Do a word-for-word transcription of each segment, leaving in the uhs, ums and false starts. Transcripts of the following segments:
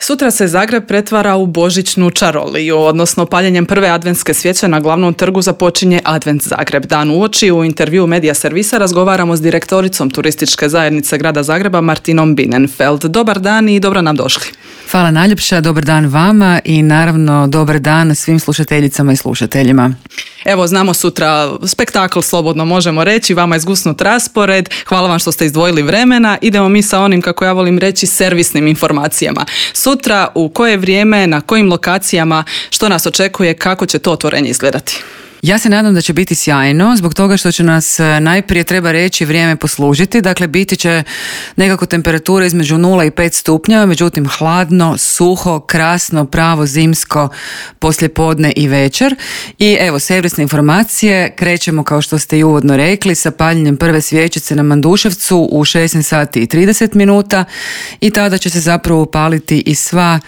Sutra se Zagreb pretvara u božićnu čaroliju, odnosno paljenjem prve adventske svijeće na glavnom trgu započinje Advent Zagreb. Dan uoči u intervju Medija servisa razgovaramo s direktoricom turističke zajednice Grada Zagreba Martinom Bienenfeld. Dobar dan i dobro nam došli. Hvala najljepša, dobar dan vama i naravno dobar dan svim slušateljicama i slušateljima. Evo, znamo sutra spektakl, slobodno možemo reći, vama je zgusnut raspored, hvala vam što ste izdvojili vremena. Idemo mi sa onim, kako ja volim reći, servisnim informacijama. Sutra, u koje vrijeme, na kojim lokacijama, što nas očekuje, kako će to otvorenje izgledati? Ja se nadam da će biti sjajno, zbog toga što će nas najprije, treba reći, vrijeme poslužiti. Dakle, biti će nekako temperatura između nula i pet stupnjeva, međutim hladno, suho, krasno, pravo zimsko poslijepodne i večer. I evo, servisne informacije, krećemo kao što ste i uvodno rekli sa paljenjem prve svječice na Manduševcu u šesnaest sati i trideset minuta i tada će se zapravo upaliti i sva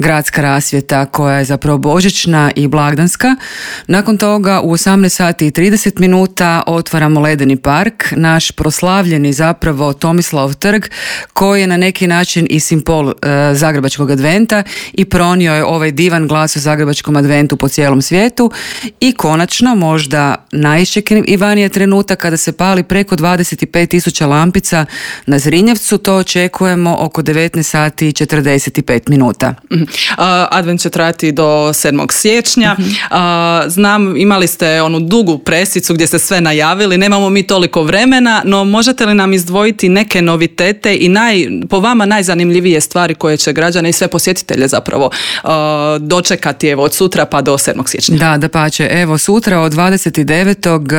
gradska rasvjeta koja je zapravo božićna i blagdanska. Nakon toga u osamnaest sati i trideset minuta otvaramo Ledeni park, naš proslavljeni zapravo Tomislav trg koji je na neki način i simbol e, Zagrebačkog adventa i pronio je ovaj divan glas o Zagrebačkom adventu po cijelom svijetu. I konačno, možda najiščekivaniji trenutak kada se pali preko dvadeset pet tisuća lampica na Zrinjevcu, to očekujemo oko devetnaest sati i četrdeset pet minuta. Mm-hmm. Uh, Advent će trajati do sedmog siječnja. Uh, znam, imali ste onu dugu presicu gdje ste sve najavili, nemamo mi toliko vremena, no možete li nam izdvojiti neke novitete i naj, po vama najzanimljivije stvari koje će građane i sve posjetitelje zapravo uh, dočekati evo, od sutra pa do sedmog siječnja? Da, dapače, evo sutra od dvadeset devetog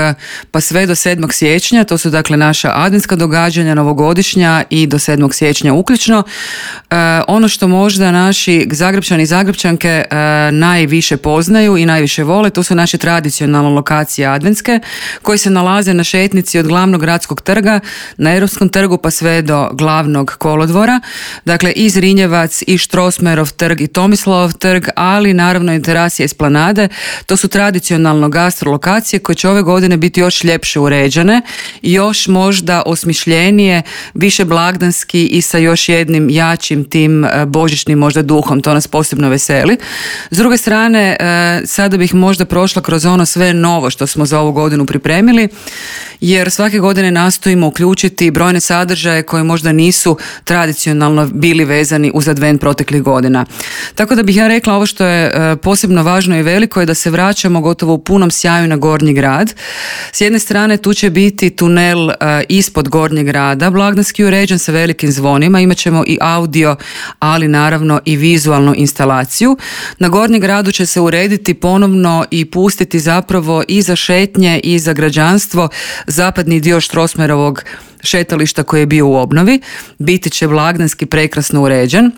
pa sve do sedmog siječnja, to su dakle naša adventska događanja, novogodišnja i do sedmog siječnja uključno. Uh, ono što možda naši Zagrebčani i Zagrebčanke e, najviše poznaju i najviše vole, to su naše tradicionalne lokacije adventske koje se nalaze na šetnici od glavnog gradskog trga na Europskom trgu pa sve do glavnog kolodvora. Dakle, i Zrinjevac, i Štrosmerov trg, i Tomislavov trg, ali naravno i terasi Esplanade. To su tradicionalno gastro lokacije koje će ove godine biti još ljepše uređene, još možda osmišljenije, više blagdanski i sa još jednim jačim tim e, božićnim možda duhom. To nas posebno veseli. S druge strane, e, sada bih možda prošla kroz ono sve novo što smo za ovu godinu pripremili, jer svake godine nastojimo uključiti brojne sadržaje koji možda nisu tradicionalno bili vezani uz advent proteklih godina. Tako da bih ja rekla, ovo što je e, posebno važno i veliko je da se vraćamo gotovo u punom sjaju na Gornji grad. S jedne strane tu će biti tunel e, ispod Gornjeg grada, blagdanski uređen sa velikim zvonima, imat ćemo i audio, ali naravno i vizualnu instalaciju. Na Gornjem gradu će se urediti ponovno i pustiti zapravo i za šetnje i za građanstvo zapadni dio Štrosmerovog šetališta koji je bio u obnovi. Biti će blagdanski prekrasno uređen.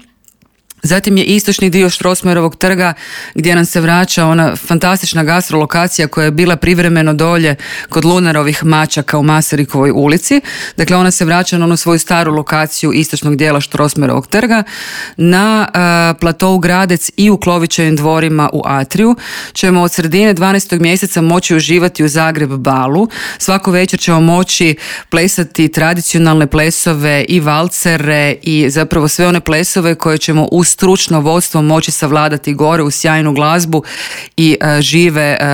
Zatim je istočni dio Štrosmerovog trga gdje nam se vraća ona fantastična gastrolokacija koja je bila privremeno dolje kod Lunarovih mačaka u Masarikovoj ulici. Dakle, ona se vraća na onu svoju staru lokaciju istočnog dijela Štrosmerovog trga. Na uh, platou Gradec i u Klovićevim dvorima u Atriju ćemo od sredine dvanaestog mjeseca moći uživati u Zagreb balu. Svako večer ćemo moći plesati tradicionalne plesove i valcere i zapravo sve one plesove koje ćemo uz stručno vodstvo moći savladati gore u sjajnu glazbu i uh, žive uh,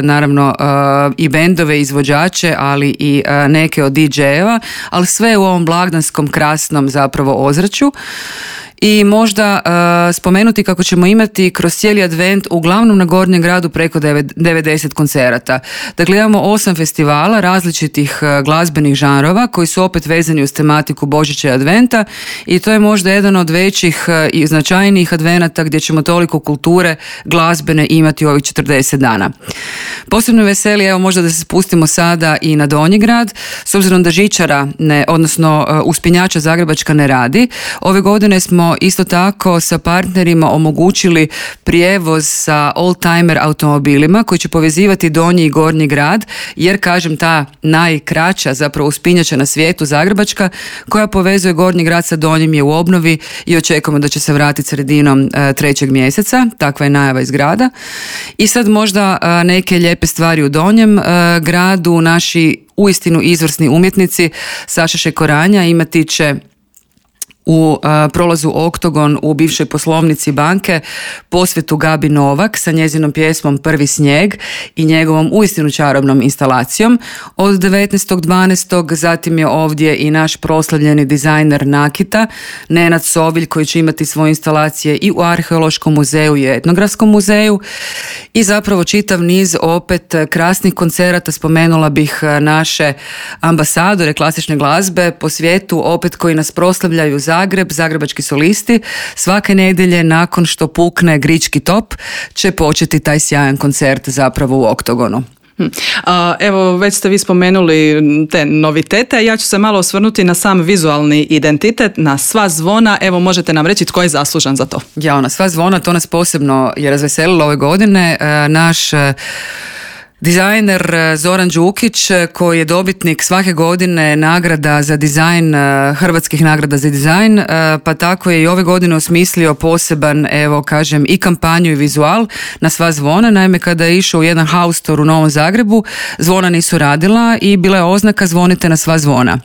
naravno uh, i bendove, izvođače, ali i uh, neke od D J-eva, ali sve u ovom blagdanskom krasnom zapravo ozračju. I možda uh, spomenuti kako ćemo imati kroz cijeli advent uglavnom na Gornjem gradu preko devedeset koncerata. Dakle, imamo osam festivala različitih uh, glazbenih žanrova koji su opet vezani uz tematiku Božića i adventa i to je možda jedan od većih uh, i značajnijih advenata gdje ćemo toliko kulture glazbene imati u ovih četrdeset dana. Posebno veseli, evo možda da se spustimo sada i na Donji grad, s obzirom da žičara, ne, odnosno uh, uspinjača Zagrebačka ne radi. Ove godine smo isto tako sa partnerima omogućili prijevoz sa oldtimer automobilima koji će povezivati Donji i Gornji grad, jer kažem ta najkraća zapravo uspinjača na svijetu Zagrebačka koja povezuje Gornji grad sa Donjim je u obnovi i očekujemo da će se vratiti sredinom e, trećeg mjeseca, takva je najava iz grada. I sad možda e, neke lijepe stvari u Donjem e, gradu, naši uistinu izvrsni umjetnici Saša Šekoranja imati će u a, prolazu Oktogon u bivšoj poslovnici banke posvetu Gabi Novak sa njezinom pjesmom Prvi snijeg i njegovom uistinu čarobnom instalacijom od devetnaestog dvanaestog Zatim je ovdje i naš proslavljeni dizajner nakita Nenad Sovilj koji će imati svoje instalacije i u Arheološkom muzeju i Etnografskom muzeju i zapravo čitav niz opet krasnih koncerata. Spomenula bih naše ambasadore klasične glazbe po svijetu opet koji nas proslavljaju Zagreb, zagrebački solisti. Svake nedjelje nakon što pukne Grički top će početi taj sjajan koncert zapravo u Oktogonu. Evo, već ste vi spomenuli te novitete, ja ću se malo osvrnuti na sam vizualni identitet, na sva zvona. Evo, možete nam reći tko je zaslužan za to? Ja, na sva zvona, to nas posebno je razveselilo ove godine. Naš dizajner Zoran Đukić, koji je dobitnik svake godine nagrada za dizajn, hrvatskih nagrada za dizajn, pa tako je i ove godine osmislio poseban, evo kažem, i kampanju i vizual na sva zvona. Naime, kada je išao u jedan house store u Novom Zagrebu, zvona nisu radila i bila je oznaka zvonite na sva zvona.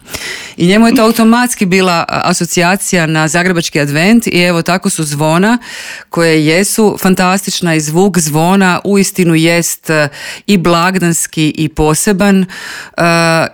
I njemu je to automatski bila asocijacija na zagrebački advent i evo tako su zvona koje jesu fantastična i zvuk zvona uistinu jest i blagdanski i poseban uh,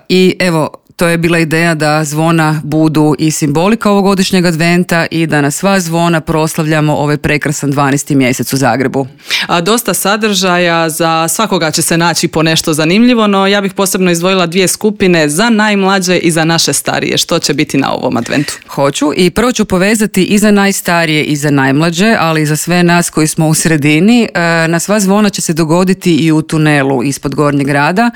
i evo to je bila ideja da zvona budu i simbolika ovogodišnjeg adventa i da na sva zvona proslavljamo ovaj prekrasan dvanaesti mjesec u Zagrebu. A dosta sadržaja, za svakoga će se naći po nešto zanimljivo, no ja bih posebno izdvojila dvije skupine, za najmlađe i za naše starije. Što će biti na ovom adventu? Hoću i prvo ću povezati i za najstarije i za najmlađe, ali i za sve nas koji smo u sredini. Na sva zvona će se dogoditi i u tunelu ispod Gornjeg grada.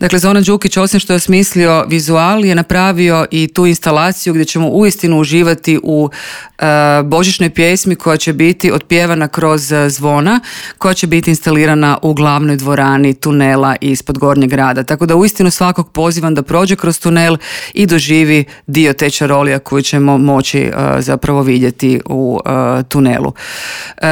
Dakle, Zoran Đukić, osim što je osmislio vizual, je napravio i tu instalaciju gdje ćemo uistinu uživati u uh, božićnoj pjesmi koja će biti otpjevana kroz zvona, koja će biti instalirana u glavnoj dvorani tunela ispod Gornjeg grada. Tako da uistinu svakog pozivam da prođe kroz tunel i doživi dio te čarolija koju ćemo moći uh, zapravo vidjeti u uh, tunelu. Uh,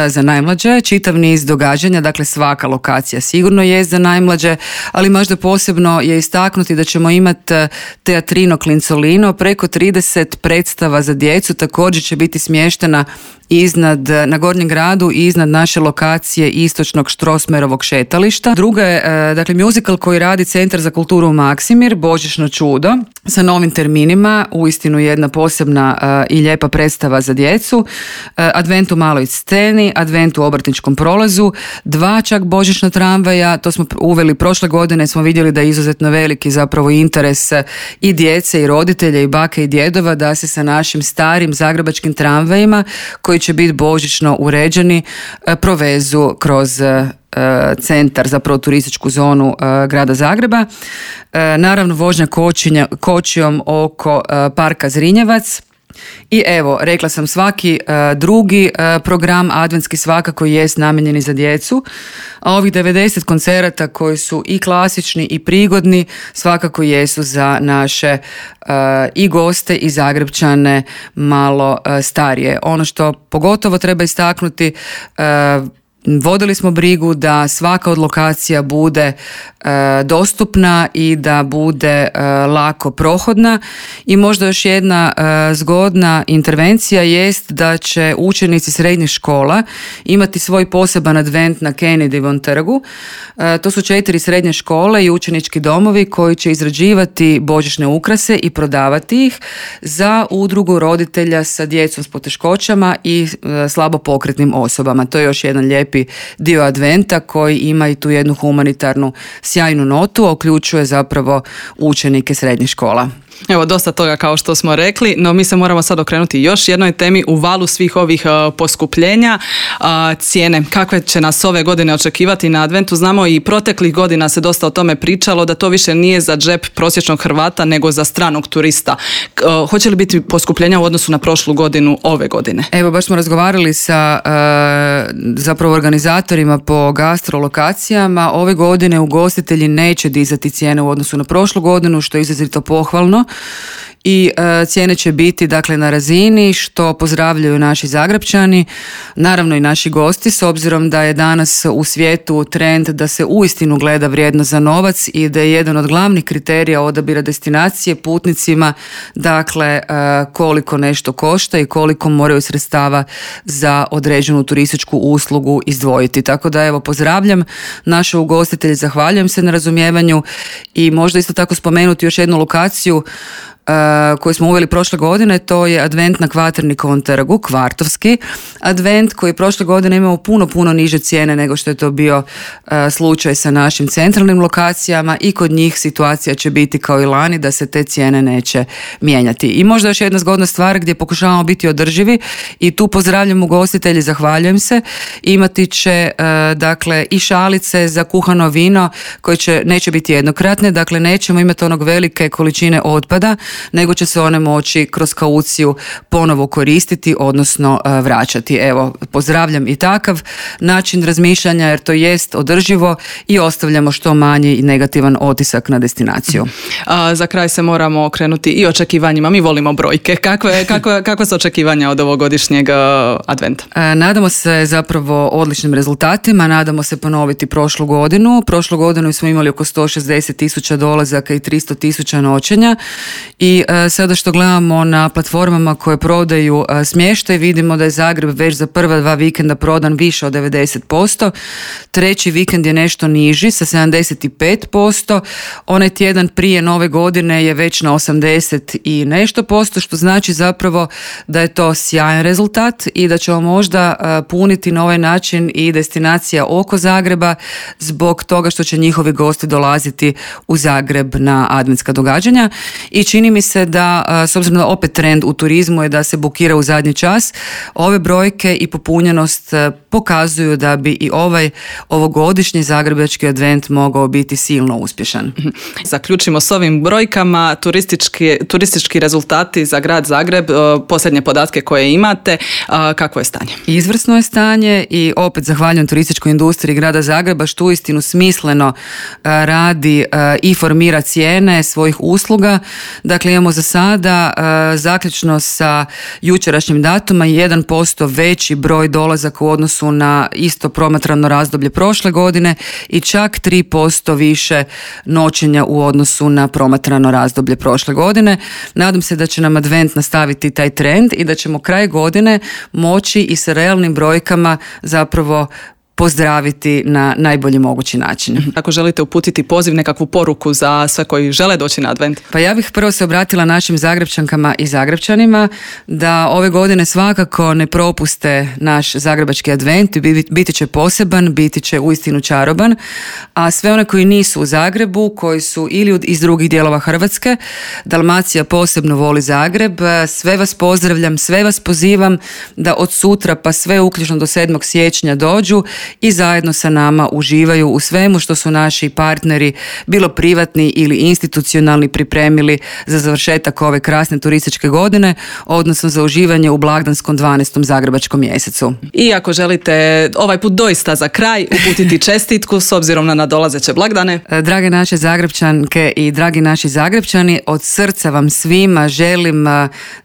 za najmlađe čitav niz događanja, dakle svaka lokacija sigurno je za najmlađe, ali možda posebno je istaknuti da ćemo imati Teatrino Klincolino, preko trideset predstava za djecu, također će biti smještena iznad, na Gornjem gradu i iznad naše lokacije istočnog Štrosmerovog šetališta. Druga je, dakle, musical koji radi Centar za kulturu Maksimir, Božićno čudo, sa novim terminima, uistinu jedna posebna uh, i lijepa predstava za djecu. Uh, Advent u maloj sceni, Advent u obrtničkom prolazu, dva čak božićna tramvaja, to smo uveli prošle godine, smo vidjeli da je izuzetno veliki zapravo interes i djece i roditelja i bake i djedova da se sa našim starim zagrebačkim tramvajima koji će biti božićno uređeni provezu kroz centar, zapravo turističku zonu uh, grada Zagreba. Uh, naravno vožnja kočinja, kočijom oko uh, parka Zrinjevac. I evo, rekla sam, svaki uh, drugi uh, program adventski svakako jest namijenjeni za djecu, a ovih devedeset koncerata koji su i klasični i prigodni svakako jesu za naše uh, i goste i Zagrepčane malo uh, starije. Ono što pogotovo treba istaknuti, uh, vodili smo brigu da svaka od lokacija bude e, dostupna i da bude e, lako prohodna i možda još jedna e, zgodna intervencija jest da će učenici srednjih škola imati svoj poseban advent na Kennedyvom trgu. E, to su četiri srednje škole i učenički domovi koji će izrađivati božićne ukrase i prodavati ih za udrugu roditelja sa djecom s poteškoćama i e, slabo pokretnim osobama. To je još jedan lijepi dio adventa koji ima i tu jednu humanitarnu sjajnu notu, a uključuje zapravo učenike srednjih škola. Evo, dosta toga kao što smo rekli, no mi se moramo sad okrenuti još jednoj temi u valu svih ovih uh, poskupljenja. Uh, cijene, kakve će nas ove godine očekivati na adventu? Znamo i proteklih godina se dosta o tome pričalo, da to više nije za džep prosječnog Hrvata nego za stranog turista. Uh, hoće li biti poskupljenja u odnosu na prošlu godinu ove godine? Evo, baš smo razgovarali sa uh, zapravo organizatorima po gastrolokacijama. Ove godine ugostitelji neće dizati cijene u odnosu na prošlu godinu, što je izrazito pohvalno. i e, cijene će biti dakle na razini što pozdravljaju naši Zagrepčani, naravno i naši gosti, s obzirom da je danas u svijetu trend da se uistinu gleda vrijednost za novac i da je jedan od glavnih kriterija odabira destinacije putnicima dakle e, koliko nešto košta i koliko moraju sredstava za određenu turističku uslugu izdvojiti. Tako da evo pozdravljam naše ugostitelje, zahvaljujem se na razumijevanju i možda isto tako spomenuti još jednu lokaciju Uh, koju smo uveli prošle godine, to je advent na Kvaternikovom trgu, kvartovski advent koji prošle godine imao puno, puno niže cijene nego što je to bio uh, slučaj sa našim centralnim lokacijama i kod njih situacija će biti kao i lani da se te cijene neće mijenjati. I možda još jedna zgodna stvar gdje pokušavamo biti održivi i tu pozdravljam ugostitelji, zahvaljujem se, imati će uh, dakle i šalice za kuhano vino koje će, neće biti jednokratne, dakle nećemo imati onog velike količine otpada, nego će se one moći kroz kauciju ponovo koristiti, odnosno uh, vraćati. Evo, pozdravljam i takav način razmišljanja jer to jest održivo i ostavljamo što manji i negativan otisak na destinaciju. A, za kraj se moramo okrenuti i očekivanjima. Mi volimo brojke. Kakve, kakve, kakve su očekivanja od ovogodišnjeg uh, adventa? Uh, nadamo se zapravo odličnim rezultatima, nadamo se ponoviti prošlu godinu. Prošlu godinu smo imali oko sto šezdeset tisuća dolazaka i tristo tisuća noćenja. I uh, sada što gledamo na platformama koje prodaju uh, smještaj, vidimo da je Zagreb već za prva dva vikenda prodan više od devedeset posto. Treći vikend je nešto niži sa sedamdeset pet posto. Onaj tjedan prije nove godine je već na osamdeset i nešto posto, što znači zapravo da je to sjajan rezultat i da ćemo možda uh, puniti na ovaj način i destinacija oko Zagreba zbog toga što će njihovi gosti dolaziti u Zagreb na adventska događanja. I čini mi se da, s obzirom da opet trend u turizmu je da se bukira u zadnji čas, ove brojke i popunjenost pokazuju da bi i ovaj ovogodišnji zagrebački advent mogao biti silno uspješan. Zaključimo s ovim brojkama, turistički, turistički rezultati za grad Zagreb, posljednje podatke koje imate, kakvo je stanje? Izvrsno je stanje i opet zahvaljujem turističkoj industriji grada Zagreba što uistinu smisleno radi i formira cijene svojih usluga. Dakle, imamo za sada uh, zaključno sa jučerašnjim datuma jedan posto veći broj dolazaka u odnosu na isto promatrano razdoblje prošle godine i čak tri posto više noćenja u odnosu na promatrano razdoblje prošle godine. Nadam se da će nam advent nastaviti taj trend i da ćemo kraj godine moći i sa realnim brojkama zapravo pozdraviti na najbolji mogući način. Ako želite uputiti poziv, nekakvu poruku za sve koji žele doći na advent? Pa ja bih prvo se obratila našim Zagrepčankama i Zagrepčanima da ove godine svakako ne propuste naš zagrebački advent, biti će poseban, biti će uistinu čaroban, a sve one koji nisu u Zagrebu, koji su ili iz drugih dijelova Hrvatske, Dalmacija posebno voli Zagreb, sve vas pozdravljam, sve vas pozivam da od sutra pa sve uključno do sedmog siječnja dođu i zajedno sa nama uživaju u svemu što su naši partneri, bilo privatni ili institucionalni, pripremili za završetak ove krasne turističke godine, odnosno za uživanje u blagdanskom dvanaestom zagrebačkom mjesecu. I ako želite ovaj put doista za kraj uputiti čestitku s obzirom na nadolazeće blagdane. Drage naše Zagrepčanke i dragi naši Zagrepčani, od srca vam svima želim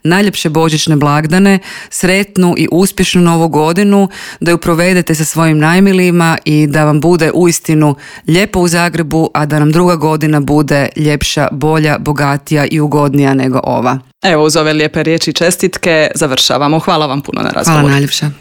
najljepše božićne blagdane, sretnu i uspješnu novu godinu, da ju provedete sa svojim najmilijima i da vam bude uistinu lijepo u Zagrebu, a da nam druga godina bude ljepša, bolja, bogatija i ugodnija nego ova. Evo, uz ove lijepe riječi i čestitke završavamo. Hvala vam puno na razgovoru. Hvala najljepša.